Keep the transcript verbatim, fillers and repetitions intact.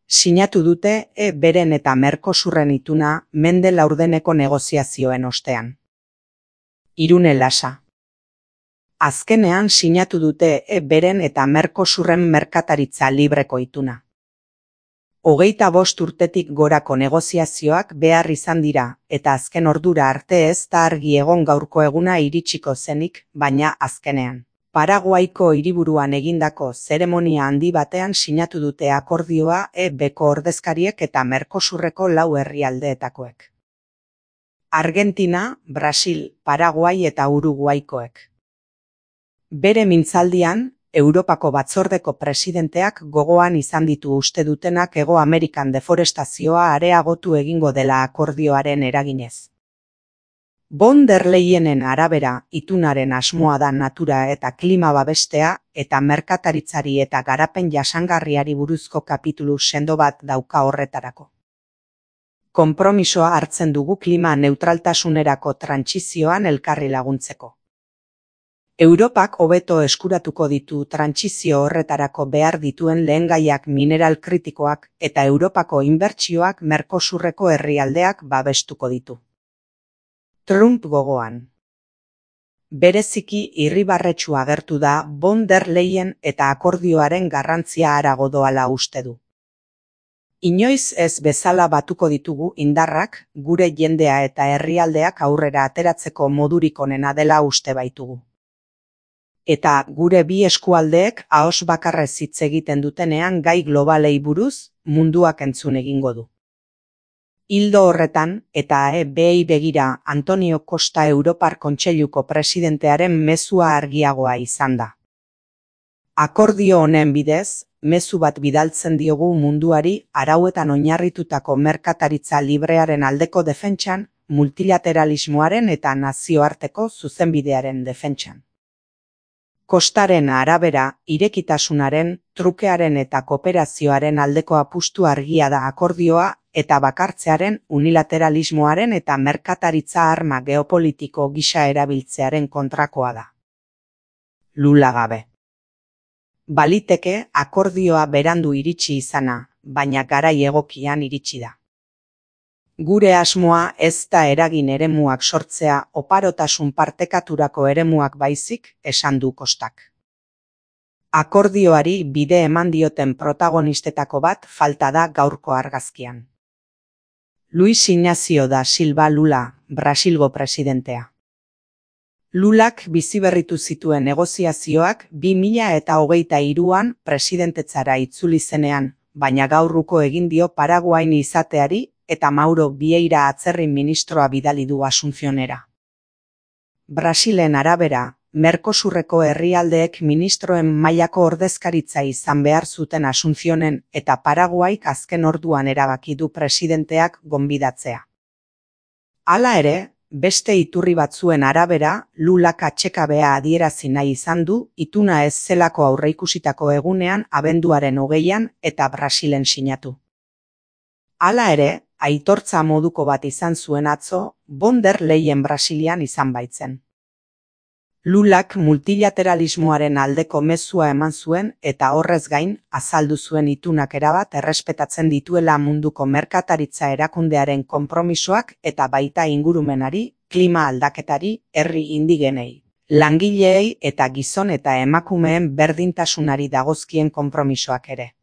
Sinatu dute E beren eta Mercosurren ituna mende laurdeneko negoziazioen ostean. Irune Lasa. Azkenean sinatu dute E beren eta Mercosurren merkataritza libreko ituna. Hogeita bost urtetik gorako negoziazioak behar izan dira, eta azken ordura arte ez da argi egon gaurko eguna iritsiko zenik, baina azkenean. Paraguaiko hiriburuan egindako zeremonia handi batean sinatu dute akordioa E beko ordezkariek eta Mercosurreko lau herrialdeetakoek. Argentina, Brasil, Paraguai eta Uruguaikoek. Bere mintzaldian, Europako batzordeko presidenteak gogoan izan ditu uste dutenak Hego Amerikan deforestazioa areagotu egingo dela akordioaren eraginez. Von der Leyenen arabera, itunaren asmoa da natura eta klima babestea eta merkataritzari eta garapen jasangarriari buruzko kapitulu sendo bat dauka horretarako. Konpromisoa hartzen dugu klima neutraltasunerako trantsizioan elkarri laguntzeko. Europak hobeto eskuratuko ditu trantsizio horretarako behar dituen lehengaiak mineral kritikoak eta Europako inbertsioak Mercosurreko herrialdeak babestuko ditu. Trump gogoan. Bereziki irribarretsu agertu da Von der Leyen eta akordioaren garrantzia harago doala uste du. Inoiz ez bezala batuko ditugu indarrak, gure jendea eta herrialdeak aurrera ateratzeko modurik onena dela uste baitugu. Eta gure bi eskualdeek ahoz bakarrez hitz egiten dutenean gai globalei buruz, munduak entzun egingo du. Ildo horretan, eta E bei begira Antonio Costa Europar Kontseiluko presidentearen mezua argiagoa izan da. Akordio honen bidez, mezu bat bidaltzen diogu munduari arauetan oinarritutako merkataritza librearen aldeko defentsan, multilateralismoaren eta nazioarteko zuzenbidearen defentsan. Kostaren arabera, irekitasunaren, trukearen eta kooperazioaren aldeko apustu argia da akordioa eta bakartzearen, unilateralismoaren eta merkataritza arma geopolitiko gisa erabiltzearen kontrakoa da. Lula gabe. Baliteke akordioa berandu iritsi izana, baina garai egokian iritsi da. Gure asmoa ez da eragin eremuak sortzea oparotasun partekaturako eremuak baizik, esan du Kostak. Akordioari bide eman dioten protagonistetako bat falta da gaurko argazkian. Luis Ignacio da Silva Lula, Brasilgo presidentea. Lulak biziberritu zituen negoziazioak bi mila eta hogeita hiruan presidentetzara itzuli zenean, baina gaurruko egin dio Paraguain izateari eta Mauro Vieira atzerrin ministroa bidali du Asuncionera. Brasilen arabera, Mercosurreko herrialdeek ministroen mailako ordezkaritza izan behar zuten Asuncionen eta Paraguaik azken orduan erabaki du presidenteak gonbidatzea. Hala ere, beste iturri batzuen arabera, Lulak atsekabea adierazi nahi izan du ituna ez zelako aurreikusitako egunean abenduaren hogeian eta Brasilen sinatu. Hala ere, aitortza moduko bat izan zuen atzo, Von der Leyen Brasilian izan baitzen. Lulak multilateralismoaren aldeko mezua eman zuen eta horrez gain azaldu zuen itunak erabat errespetatzen dituela munduko merkataritza erakundearen konpromisoak eta baita ingurumenari, klima aldaketari, herri indigenei, langileei eta gizon eta emakumeen berdintasunari dagozkien konpromisoak ere.